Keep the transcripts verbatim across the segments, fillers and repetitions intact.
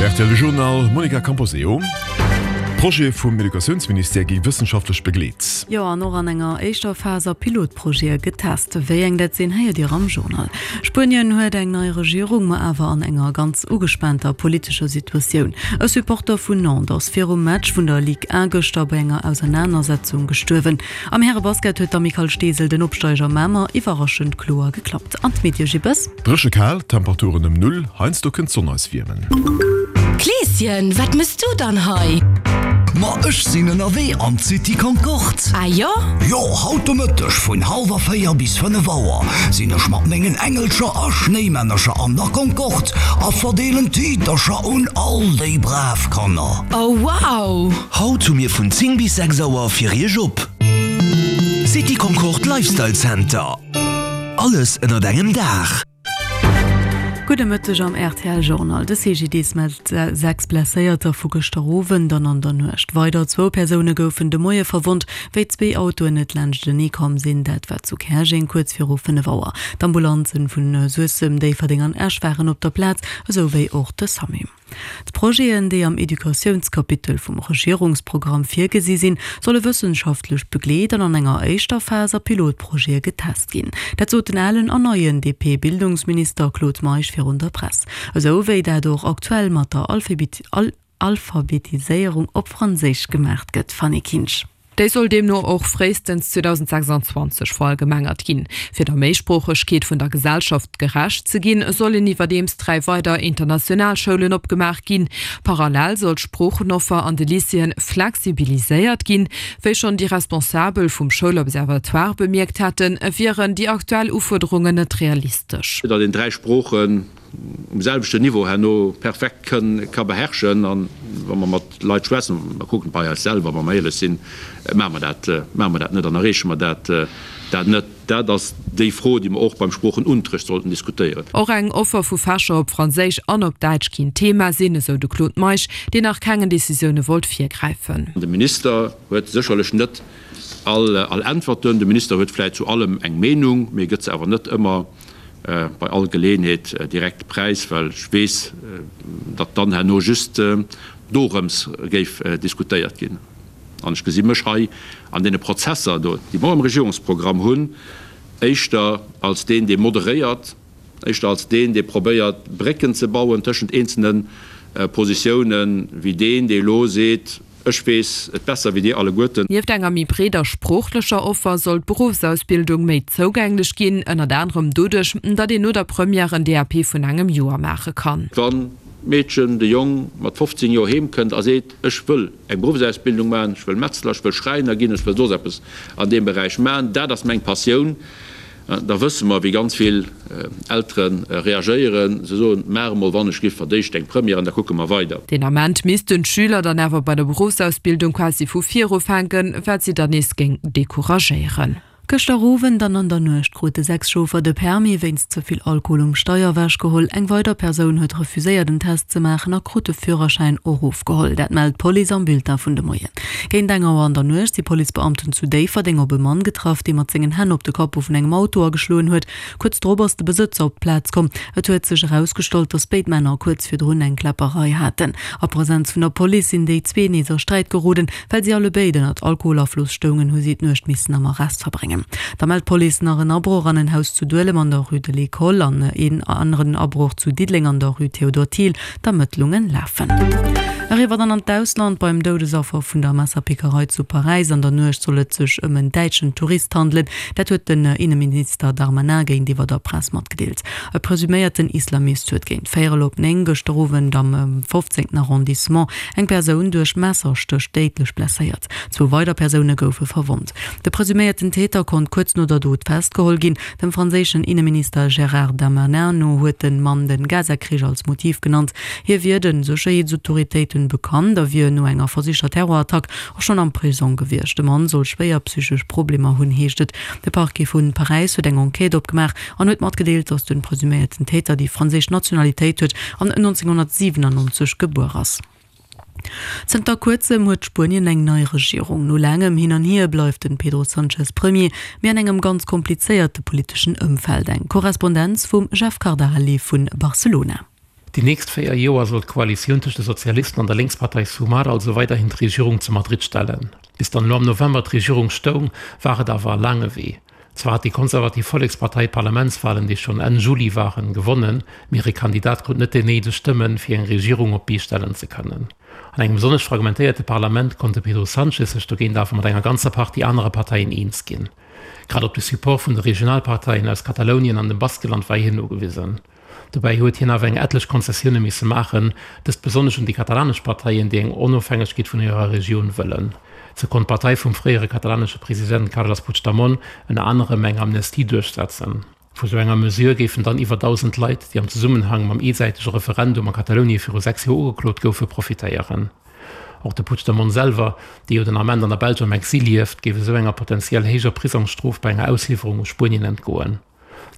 R T L Journal, Monica Camposeo. Projete vum Educatiounsministère gi wëssenschaftlech begleet. Jo, an och an enger éischter Phas a Pilotprojete getest. Wéi eng dat sinn, héiert Dir am Journal. Spuenien huet eng nei Regierung, ma awer an enger ganz ugespaanter politescher Situatioun. E Supporter vun Nantes ass virum Match vun der Ligue un gëschter bei enger Ausernanersetzung gestuerwen. Am Härebasket huet d'Amicale Steesel den Opsteiger Mamer iwwerraschend kloer geklappt. An d'Medie Gibbes. Dréche kal, Temperaturen ëm Null, heiansdo kënnt d'Sonn eis wiermen. Kleeschen, wat mëss du dann hei? Ma ech sinn ënnerwee an d'City Concorde. Ah jo? Jo, haut de Mëtteg vun hallwer véier bis fënnef Auer sinn ech mat mengen Engelcher a Schnéimännercher an der Concorde a verdeelen Tiitercher un all déi brav Kanner. Oh wow! Haut hu mir vun zéng bis sechs Auer fir iech op. City Concorde Lifestyle Center. Alles ënnert engem Daach. Gudde Mëtteg am R T L Journal. De C G D S mellt sechs Blesséierter vu gëschter Owend an an der Nuecht. Weider zwou Persoune goufen de Moie verwonnt, wéi zwee Autoen net laanschtenee komm sinn. Dat war zu Käerjeng kuerz viru fënnef Auer. D'Ambulanzen vun Suessem, Déifferdeng an Esch waren op der Plaz, esou wéi och de SAMU. D'Projeten, déi am Educatiounskapitel vum Regierungsprogramm virgesi sinn, solle wëssenschaftlech begleet an an enger éischter Phas a Pilotprojete getest ginn. Dat sot den alen an neien D P-Bildungsminister Claude Meisch virun der Press. Esou wéi dat och aktuell mat der Alphabetiséierung op Franséisch gemaach gëtt. Fanny Kinsch. Déi soll deemno och fréistens zweedausendsechsanzwanzeg verallgemengert ginn. Fir der Méisproochegkeet vun der Gesellschaft gerecht ze ginn, sollen iwwerdeems dräi weider international Schoulen opgemaach ginn. Parallel soll d'Sproochenoffer an de Lycéeën flexibiliséiert ginn. Wéi schonn déi Responsabel vum Schoulobservatoire bemierkt haten, wieren déi aktuell Ufuerderungen net realistesch. Datt een dräi Sproochen um selwechten Niveau herno perfekt ka beherrschen. An wa mer mat Leit schwätzen, mer kucken bei eis selwer, wa mer éierlech sinn, maache mer dat, maache mer dat net an erreeche mer dat dat net. Dat ass déi Fro, déi mer och beim Sproochenunterrecht sollten diskutéieren. Och eng Offer vu Fächer op Franséisch an op Däitsch kéint Thema sinn, esou de Claude Meisch, deen nach kengen Decisioune wollt virgräifen. De Minister huet sécherlech net all all Äntwerten. De Minister huet vläicht zu allem eng Meenung, mee gëtt se awer net ëmmer bei all Geleeënheet direkt präis, well ech weess, datt dann herno just dorëms géif diskutéiert ginn. An ech gesi mech hei an deene Prozesser do, déi mer am Regierungsprogramm hunn, éischter als deen, dee moderéiert, éischter als deen, dee probéiert, Brécken ze bauen tëschent eenzelne Positiounen, wéi deen, dee elo seet, Ech weess et besser wéi dir alleguerten. Nieft enger méi breeder sproochlecher Offer soll d'Beruffsausbildung méi zougänglech ginn, ënnert anerem doduerch, datt een no der Première en D A P vun engem Joer maache kann. Wann d'Meedchen, de Jong mat fofzéng Joer heem kënnt a seet, Ech wëll eng Beruffsausbildung maachen, ech wëll Metzler, ech wëll Schräiner ginn, ech wëll soss eppes an deem Beräich maachen, dat ass meng Passioun, da wësse mer, wéi ganz vill Eltere reagéieren. Se soen, Maach emol wann ech giff verdéischt eng Première an da kucke mer weider. Deen Ament missten d'Schüler dann awer bei der Beruffsausbildung quasi vu vir ufänken, wat si dann nees géing decouragéieren. Gëschter Owend an an der Nuecht krute sechs Chauffer de Permis wéinst ze vill Alkohol um Steier ewechgeholl. Eng weider Persoun huet refuséiert en Test ze maachen a krut de Führerschäin och ofgeholl. Dat mellt d'Police am Bulletin vun de Moien. Géint eng Auer an der Nuecht si Policebeamten zu Déifferdeng op e Mann getraff, dee mat sengen Hänn op de Capot vun engem Auto ageschloen huet. Kuerz drop ass de Besëtzer op d'Plaz komm. Et huet sech erausgestallt, datt béid Männer kuerz virdrun eng Kläpperei haten. A Presenz vun der Police sinn déi zwee nees a Sträit geroden. Well si allebéid ënnert Alkoholafloss stoungen, hu si d'Nuecht missen am Arrest verbréngen. Da mellt d'Police nach en Abroch an en Haus zu Duelem an der Rue de l'École an een aneren Abroch zu Diddeleng an der Rue Théodore Thiel. D'Ermëttlunge lafen. Eriwwer dann an d'Ausland. Beim Doudesaffer vun der Messerpickerei zu Paräis an der Nuecht soll et sech ëm en däitschen Tourist handelen. Dat huet den Inneminister Darmanin géintiwwer der Press matgedeelt. E presuméierten Islamist huet géint véierel op néng gëschter Owend am fofzéngten Arrondissement eng Persoun duerch Messerstéch déidlech blesséiert. Zwou weider Persoune goufe verwonnt. De presuméierten Täter konnt kuerz no der Dot festgeholl ginn. Dem franséischen Inneminister Gérard Darmanin no huet de Mann de Gaza-Krich als Motiv genannt. Hie wier de Sécherheetsautoritéiten bekannt a wier no enger versichter Terrorattack och schonn am Prisong gewiescht. De Mann soll schwéier psychesch Problemer hunn, heescht et. De Parquet vu Paräis huet eng Enquête opgemaach an huet matgedeelt, datt de presuméierten Täter déi franséisch Nationalitéit huet an nonzénghonnertsiwenannonzeg gebuer ass. Zënter kuerzem huet Spuenien eng nei Regierung. No laangem Hin an Hier bleift den Pedro Sanchez Premier, mee an engem ganz komplizéierte politeschen Ëmfeld. Eng Korrespondenz vum Jeff Cardarelli vu Barcelona. Déi Déi nächst véier Joer soll d'Koalitioun tëscht de Sozialisten an der Lénkspartei Sumar also weiderhin d'Regierung zu Madrid stellen. Bis dann elo am November d'Regierung stoung, war et awer e laange Wee. Zwar hat déi konservativ Vollekspartei d'Parlamentswalen, déi schonn Enn Juli waren, gewonnen, mee hire Kandidat krut net déi néideg Stëmmen, fir eng Regierung op d'Bee stellen ze kënnen. An engem besonnesch fragmentéierte Parlament konnt de Pedro Sánchez sech dogéint awer mat enger ganzer Partie anere Parteien eens ginn. Grad op de Support vun de Regionalparteien aus Katalounien an dem Baskeland war hien ugewisen. Dobäi huet hien awer eng etlech Konzessioune misse maachen, dëst besonnesch un déi katalanesch Parteien, déi eng Onofhängegkeet vun hirer Regioun wëllen. Sou konnt d'Partei vum fréiere katalanesche President Carles Puigdemont ënner anerem eng Amnestie duerchsetzen. Vu sou enger Mesure géifen dann iwwer dausend Leit, déi am Zesummenhang mam eesäitege Referendum a Katalounie viru sechs Joer ugeklot goufe, profitéieren. Och de Puigdemont selwer, dee jo den Ament an der Belsch am Exil lieft, géif esou enger potentiell héijer Prisongsstrof bei enger Ausliwwerung u Spuenien entgoen.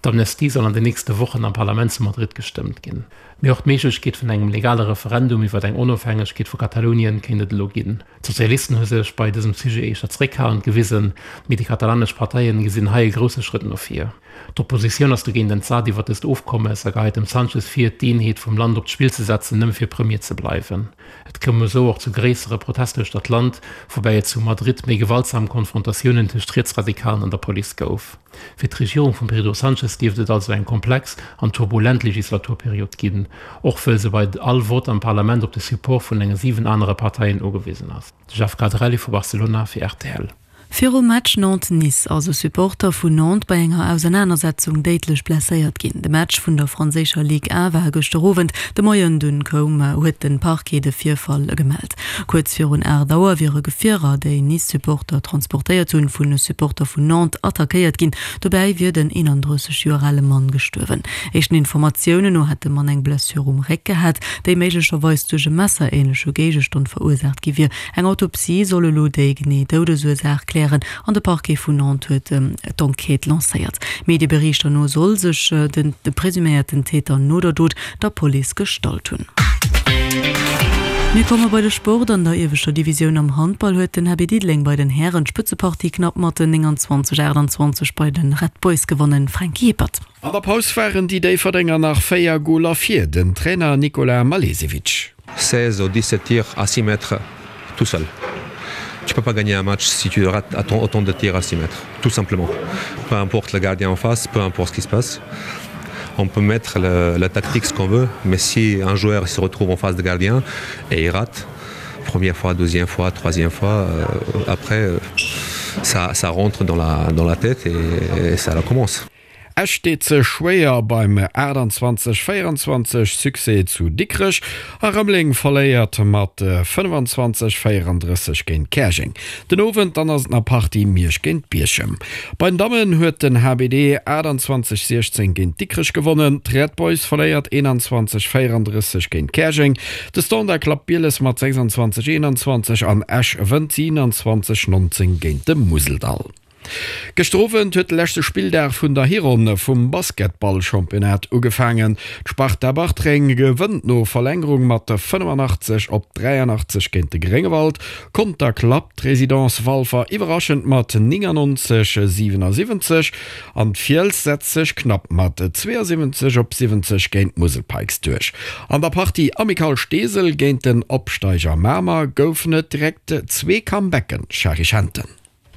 D'Amnestie soll an den nächste Wochen am Parlament zu Madrid gestëmmt ginn. Mee och d'Méiglechkeet vun engem legale Referendum iwwer eng Onofhängegkeet vu Katalounien kéint et elo ginn. D'Sozialisten hu sech bei dësem Sujet éischter zeréckhalend gewisen, mee déi katalanesch Parteien gesinn hei e grousse Schrëtt no vir. D'Oppositioun ass dogéint entsat iwwer dëst Ofkommes a geheit dem Sanchez vir, d'Eenheet vum Land op d'Spill ze setzen, nëmme fir Premier ze bleiwen. Et koum esou och zu gréissere Protester uechter d'Land, woubäi et zu Madrid méi gewaltsam Konfrontatiounen tëscht Rietsradikalen an der Police gouf. Fir d'Regierung vum Pedro Sanchez dierft et also eng komplex an turbulent Legislaturperiod ginn, och wëll se bei all Vott am Parlament op de Support vun enge siwen anere Parteien ugewisen ass. De Jeff Quadrelli vu Barcelona fir rtl. Virum Match Nantes-Nice ass e Supporter vun Nantes bei enger Ausernanersetzung déidlech blesséiert ginn. De Match vun der franséischer Ligue A war gëschter Owend. De Moien dunn koum huet de Parquet de Virfall gemellt. Kuerz virun aacht Auer wiere Gefierer, déi Nice-Supporter transportéiert hunn, vun Supporter vun Nantes attackéiert ginn. Dobäi wier den eenandrësseg Joer ale Mann gestuerwen. Éischten Informatiounen no hätt de Mann eng Blessure um Réck gehat, déi méiglecherweis duerch e messerähnleche Géigestand verursaacht gi wier. Eng Autopsie soll elo déi genee Doudesursaach klären an de Parquet vun Nantes huet d'Enquête lancéiert. Medieberichter no soll sech de presuméierten Täter no der Dot der Police gestallt hunn. Mir komme bei de Sport. An der ieweschter Divisioun am Handball huet den H B Diddeleng bei den Hären d'Spëtzepartie knapp mat nénganzwanzeg, aachtanzwanzeg bei de Red Boys gewonnen. Franky Hippert. An der Paus waren déi Déifferdenger nach véier Goler vir, den Trainer Nikola Malesevic. seize ou dix-sept tirs à six mètres tout seul. Tu peux pas gagner un match si tu rates autant de tirs à six mètres, tout simplement. Peu importe le gardien en face, peu importe ce qui se passe. On peut mettre le, la tactique ce qu'on veut, mais si un joueur se retrouve en face de gardien et il rate, première fois, deuxième fois, troisième fois, euh, après euh, ça, ça rentre dans la, dans la tête et, et ça recommence. Esch deet sech schwéier beim aachtanzwanzeg véierenzwanzeg Succès zu Dikrech a Rëmeleng verléiert mat fënnefanzwanzeg véierandrësseg géint Käerjeng. Den Owend dann ass et nach Partie Miersch géint Bierchem. Bei den Dammen huet den H B D aachtanzwanzeg siechzéng géint Dikrech gewonnen, d'Red Boys verléiert eenanzwanzeg véierandrësseg géint Käerjeng, de Standard klappt Bieles mat sechsanzwanzeg eenanzwanzeg an Esch wënnt siewenanzwanzeg nonzéng géint de Museldall. Gëschter Owend huet de leschte Spilldag vun der Hironn vum Basketball-Championnat ugefaangen. D'Sparta Bartreng gewënnt no Verlängerung mat fënnefanachtzeg op dräianachtzeg géint de Gréngewald. Conter klappt d'Residence Walfer iwwerraschend mat néngannonzeg, siwenasiwwenzeg an d'Fiels setzt sech knapp mat zweeësiwwenzeg op siwwenzeg géint d'Musel Pikes duerch. An der Partie Amicale Steesel géint den Opsteiger Mamer goufen et direkt zwee Comebacken, Shari Schenten.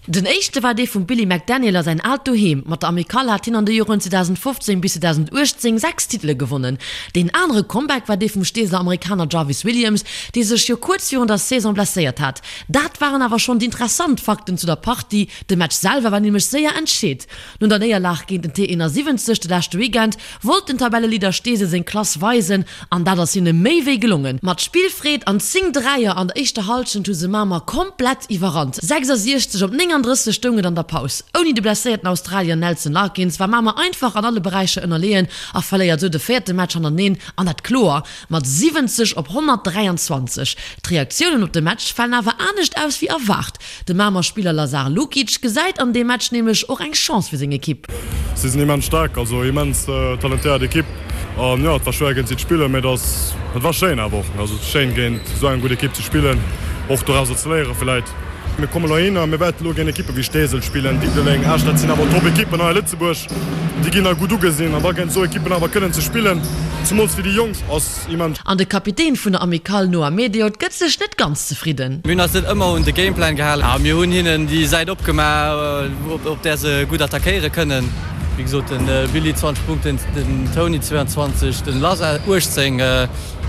Den éischte war dee vum Billy McDaniel a säin aalt Doheem. Mat der Amicale hat hien an de Joren zweedausendfofzéng bis zweedausenduechtzéng sechs Titele gewonnen. Deen anere Comeback war dee vum Steeseler Amerikaner Jarvis Williams, dee sech jo kuerz virun der Saison blesséiert hat. Dat waren awer schonn déi interessant Fakten zu der Partie. De Match selwer war nämlech séier entscheet. No der Néierlag géint den T eenasiwwenzeg de leschte Weekend wollt den Tabelleleader Steesel seng Klass weisen an dat ass hinne méi wéi gelongen. Mat Spillfreed an zéng Dräier an der éischter Hallschent hu se Mamer komplett iwwerrannt. sechsasiechzeg op néngandrësseg stoung et an der Paus. Ouni de blesséierten Australier Nelson Larkins war Mamer einfach an alle Beräicher ënnerleeën a verléiert sou de véierte Match hannerteneen an dat kloer mat siwwenzeg op honnertdräianzwanzeg. D'Reaktiounen op de Match falen awer anescht aus wéi erwaart. De Mamer Spiller Lazar Lukic gesäit an deem Match nämlech och eng Chance fir seng Ekipp. Si sinn immens staark, also immens talentéiert Ekipp an jo, et war schwéier géint si ze spillen, mee et ass, et war schéin awer och, also et ass schéin géint esou eng gutt Ekipp ze spillen, och dorauser ze léiere vläit. Mir kommen elo heihinner, mir wäerten elo géint Ekippe wéi Steesel spillen, Diddeleng, Esch, dat sinn awer Top-Ekippen hei a Lëtzebuerg, déi ginn hei gutt ugesinn an da géint esou Ekippen awer kënnen ze spillen, Zemools fir déi Jonk ass immens. An de Kapitän vun der Amicale Noah Mediot gëtt sech net ganz zefridden. Mir hunn eis net ëmmer un de Gameplan gehalen a mir hunn hinnen déi Säit opgemaach, op där se gutt attackéiere kënnen. Wéi gesot, de Billy zwanzeg Punkten, den Tony zwee an zwanzeg, den Lazar uechtzéng.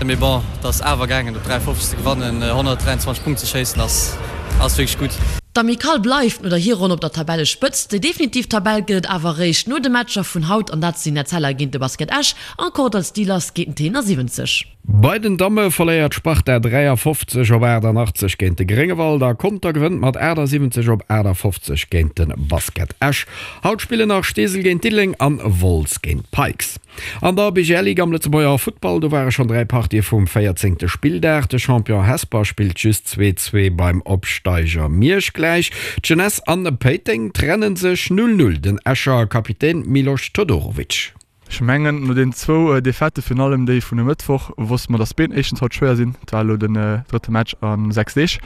Mee bon, et ass awer gaangen op dräianfofzeg ze gewannen, honnertdräianzwanzeg Punkte ze schéissen ass ass wierklech gutt. D'Amicale bleift no der Hironn op der Tabellespëtzt. Déi definitiv Tabell gëtt et awer eréischt no de Matcher vun haut an dat sinn Etzella géint de Basket Esch an Kordall Steelers géint den T siwwenzeg. Bei den Damme verléiert d'Sparta dräiafofzeg op aachtanachtzeg géint de Gréngewald a Conter gewënnt mat aachtasiwwenzeg op aachtafofzeg géint de Basket Esch. Haut spillen nach Steesel géint Diddeleng an Wolz géint Pikes. An der B G L Ligue am Lëtzebuerger Futtball, do ware schonn dräi Partië vum véierzéngte Spilldag. De Champion Hesper spillt just zwee zwee beim Opsteiger Miersch gläich. D'Jeunesse an Péiteng trenne sech null null. Den Escher Kapitän Milos Todorovic. Ech mengen, no den zwou Defaitë, virun allem déi vun e Mëttwoch, wosste mer, dass d'Been éischtens haut schwéier sinn. Et war elo den drëtte Match a sechs Deeg.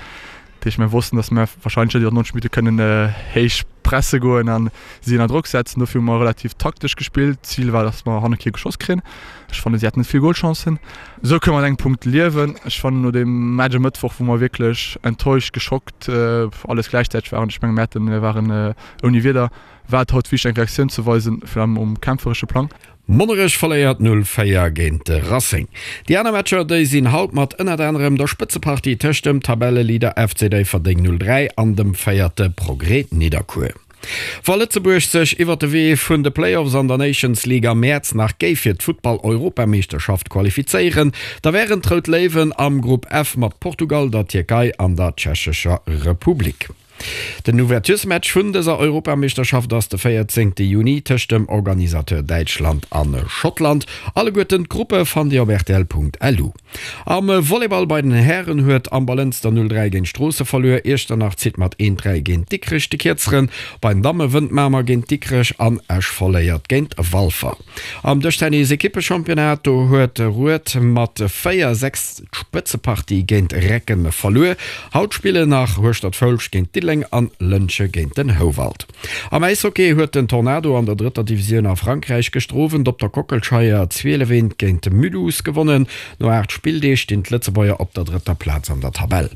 Dat heescht, mir wossten, dass mir warscheinlech net iwwer neunzeg Minutte kënnen héich presse goen a si ënner Drock setzen. Dofir hu mer relativ taktesch gespillt. D'Zil war, dass mer hanne kee geschoss kréien. Ech fannen, si haten net vill Golchancen. Esou kënne mer mat engem Punkt liewen. Ech fannen, no deem Match e Mëttwoch, wou mer wierklech enttäuscht, geschockt, alles gläichzäiteg waren, ech menge mir haten, mir waren ouni Wieder, war et haut wichteg eng Reaktioun ze weisen, virun allem um kämpferesche Plang. Monnerech verléiert null véier géint de Racing. Déi aner Matcher déi sinn haut mat ënnert anerem der Spëtzepartie tëscht dem Tabelleleader F C Déifferdeng null dräi an dem Véierte Progrès Nidderkuer. Wa Lëtzebuerg sech iwwer de Wee vun de Playoffs an der Nations League am Mäerz nach géif fir d'Futtball-Europameeschterschaft qualifizéieren, da wären d'Rout Léiwen am Grupp F mat Portugal, der Tierkei an der Tschechescher Republik. Den Ouverturesmatch vun dëser Europameeschterschaft ass de véierzéngte Juni tëscht dem Organisateur Däitschland a Schottland. Alleguerten d'Gruppe fannt Dir op rtl Punkt L U. Am Volleyball bei den Hären huet Amber-Lënster null dräi géint Stroosse verluer, Iechternach zitt mat eent dräi géint Dikrech de Kierzeren. Bei den Damme wënnt Mamer géint Dikrech an Esch verléiert géint Walfer. Am Dëschtennis-Ekippechampionnat, do huet Rued mat véier sechs d'Spëtzepartie géint Recken verluer. Haut spillen nach Hueschtert-Foulscht géint Diddeleng an Lëntge géint den Houwald. Am Äishockey huet den Tornado an der drëtter Divisioun a Frankräich gëschter Owend op der Kockelscheier zwielef eent géint Mulhouse gewonnen. No aacht Spilldeeg stinn d'Lëtzebuerger op der drëtter Plaz an der Tabell.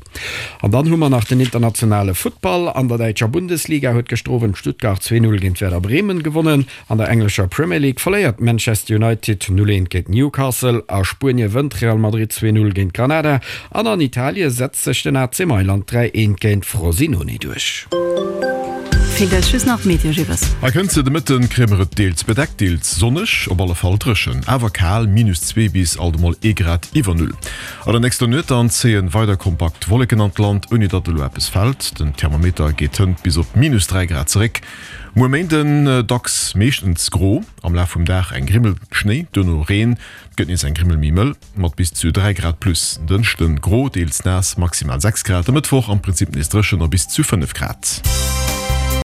An dann hu mer nach den internationale Futtball. An der däitscher Bundesliga huet gëschter Owend Stuttgart zwee null géint Werder Bremen gewonnen. An der englescher Premier League verléiert Manchester United null eent géint Newcastle. A Spuenie wënnt Real Madrid zwee null géint Granada an an Italie setzt sech den A C Mailand dräi eent géint Frosinone duerch. Feelt eis just nach d'Meteo, Jibbes. Hei kënnt se, de Mëtten kréie mer et deels bedeckt, deels sonneg, op alle Fall dréchen, awer kal, minus zwee bis alt emol ee Grad iwwer Null. An der nächster Nuet dann zéien weider kompakt Wolleken an d'Land, ouni datt elo eppes fält. Den Thermometer geet hënt bis op minus dräi Grad zeréck. Muer Méinden dacks meeschtens gro, am Laf vum Dag eng Grimmel Schnéi, duerno Reen, et gëtt nees eng Grimmel méi mëll mat bis zu dräi Grad plus. En Dënschden gro, deels naass, maximal sechs Grad. E Mëttwoch am Prinzip nees dréchen a bis zu fënnef Grad.